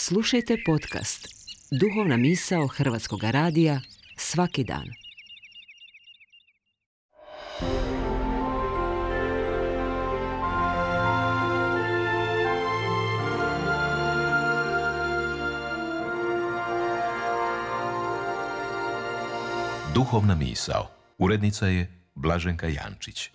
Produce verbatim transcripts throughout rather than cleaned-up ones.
Slušajte podcast Duhovna misao Hrvatskog radija svaki dan. Duhovna misao. Urednica je Blaženka Jančić.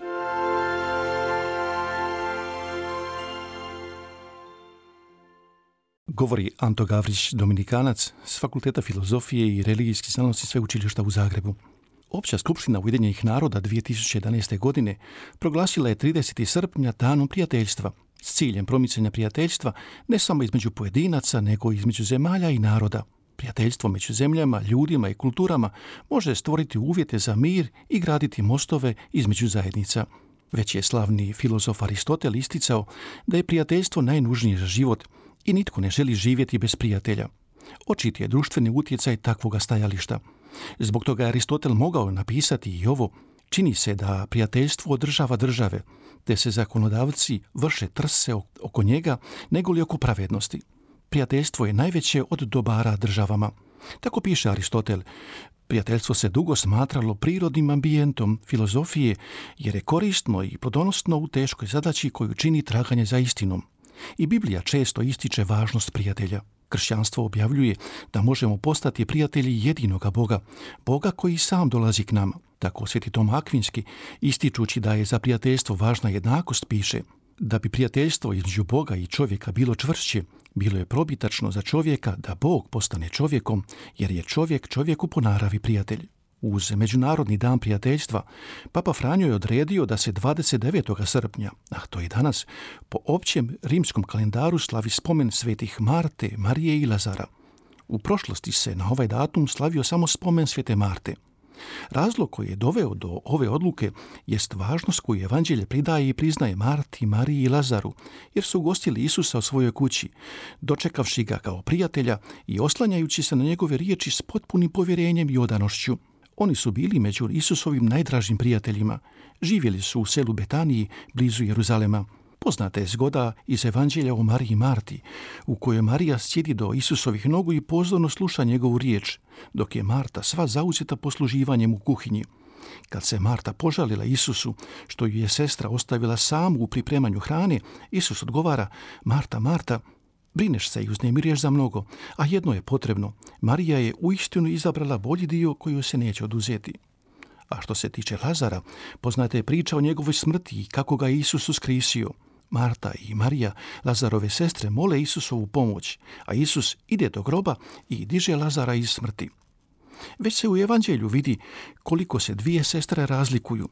Govori Anto Gavrić, Dominikanac s Fakulteta filozofije i religijskih znanosti Sveučilišta u Zagrebu. Opća skupština Ujedinjenih naroda dvije tisuće jedanaeste. godine proglasila je tridesetog srpnja danom prijateljstva s ciljem promicanja prijateljstva ne samo između pojedinaca, nego i između zemalja i naroda. Prijateljstvo među zemljama, ljudima i kulturama može stvoriti uvjete za mir i graditi mostove između zajednica. Već je slavni filozof Aristotel isticao da je prijateljstvo najnužnije za život i nitko ne želi živjeti bez prijatelja. Očit je društveni utjecaj takvoga stajališta. Zbog toga je Aristotel mogao napisati i ovo: čini se da prijateljstvo održava države, te se zakonodavci vrše trse oko njega nego li oko pravednosti. Prijateljstvo je najveće od dobara državama. Tako piše Aristotel. Prijateljstvo se dugo smatralo prirodnim ambijentom filozofije jer je korisno i plodonosno u teškoj zadaći koju čini traganje za istinom. I Biblija često ističe važnost prijatelja. Kršćanstvo objavljuje da možemo postati prijatelji jedinoga Boga, Boga koji sam dolazi k nama. Tako Sveti Tom Akvinski, ističući da je za prijateljstvo važna jednakost, piše: da bi prijateljstvo između Boga i čovjeka bilo čvršće, bilo je probitačno za čovjeka da Bog postane čovjekom, jer je čovjek čovjeku po naravi prijatelj. Uz Međunarodni dan prijateljstva, Papa Franjo je odredio da se dvadeset devetog srpnja, a to je danas, po općem rimskom kalendaru slavi spomen svetih Marte, Marije i Lazara. U prošlosti se na ovaj datum slavio samo spomen svete Marte. Razlog koji je doveo do ove odluke jest važnost koju evanđelje pridaje i priznaje Marti, Mariji i Lazaru, jer su ugostili Isusa u svojoj kući, dočekavši ga kao prijatelja i oslanjajući se na njegove riječi s potpunim povjerenjem i odanošću. Oni su bili među Isusovim najdražim prijateljima. Živjeli su u selu Betaniji, blizu Jeruzalema. Poznata je zgoda iz Evanđelja o Mariji i Marti, u kojoj Marija sjedi do Isusovih nogu i pozorno sluša njegovu riječ, dok je Marta sva zauzeta posluživanjem u kuhinji. Kad se Marta požalila Isusu što ju je sestra ostavila samu u pripremanju hrane, Isus odgovara: Marta, Marta, brineš se i uznemiruješ za mnogo, a jedno je potrebno. Marija je uistinu izabrala bolji dio koji joj se neće oduzeti. A što se tiče Lazara, poznata je priča o njegovoj smrti i kako ga je Isus uskrisio. Marta i Marija, Lazarove sestre, mole Isusovu pomoć, a Isus ide do groba i diže Lazara iz smrti. Već se u Evanđelju vidi koliko se dvije sestre razlikuju.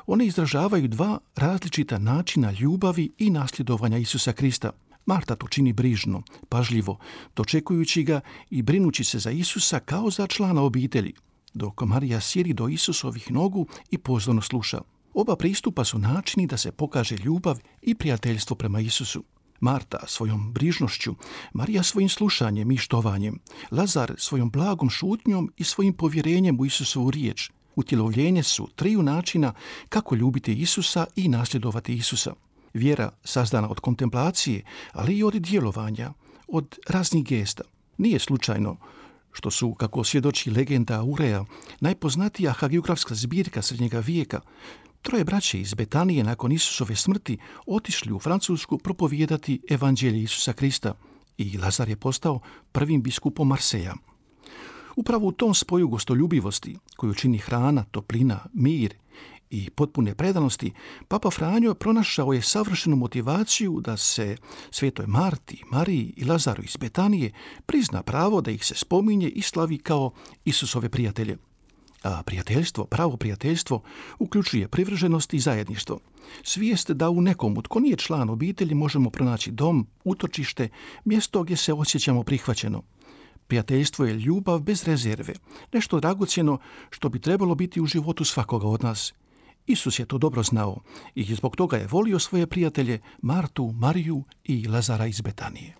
One izražavaju dva različita načina ljubavi i nasljedovanja Isusa Krista. Marta to čini brižno, pažljivo, dočekujući ga i brinući se za Isusa kao za člana obitelji, dok Marija sjedi do Isusovih nogu i pozorno sluša. Oba pristupa su načini da se pokaže ljubav i prijateljstvo prema Isusu. Marta svojom brižnošću, Marija svojim slušanjem i štovanjem, Lazar svojom blagom šutnjom i svojim povjerenjem u Isusovu riječ. Utjelovljenje su triju načina kako ljubiti Isusa i nasljedovati Isusa. Vjera sazdana od kontemplacije, ali i od djelovanja, od raznih gesta. Nije slučajno što su, kako svjedoči legenda Aurea, najpoznatija hagiografska zbirka srednjega vijeka, troje braće iz Betanije nakon Isusove smrti otišli u Francusku propovijedati evanđelje Isusa Krista i Lazar je postao prvim biskupom Marseja. Upravo u tom spoju gostoljubivosti, koju čini hrana, toplina, mir i potpune predanosti, Papa Franjo pronašao je savršenu motivaciju da se svetoj Marti, Mariji i Lazaru iz Betanije prizna pravo da ih se spominje i slavi kao Isusove prijatelje. A prijateljstvo, pravo prijateljstvo, uključuje privrženost i zajedništvo. Svijest da u nekom tko nije član obitelji možemo pronaći dom, utočište, mjesto gdje se osjećamo prihvaćeno. Prijateljstvo je ljubav bez rezerve, nešto dragocjeno što bi trebalo biti u životu svakoga od nas. Isus je to dobro znao i zbog toga je volio svoje prijatelje Martu, Mariju i Lazara iz Betanije.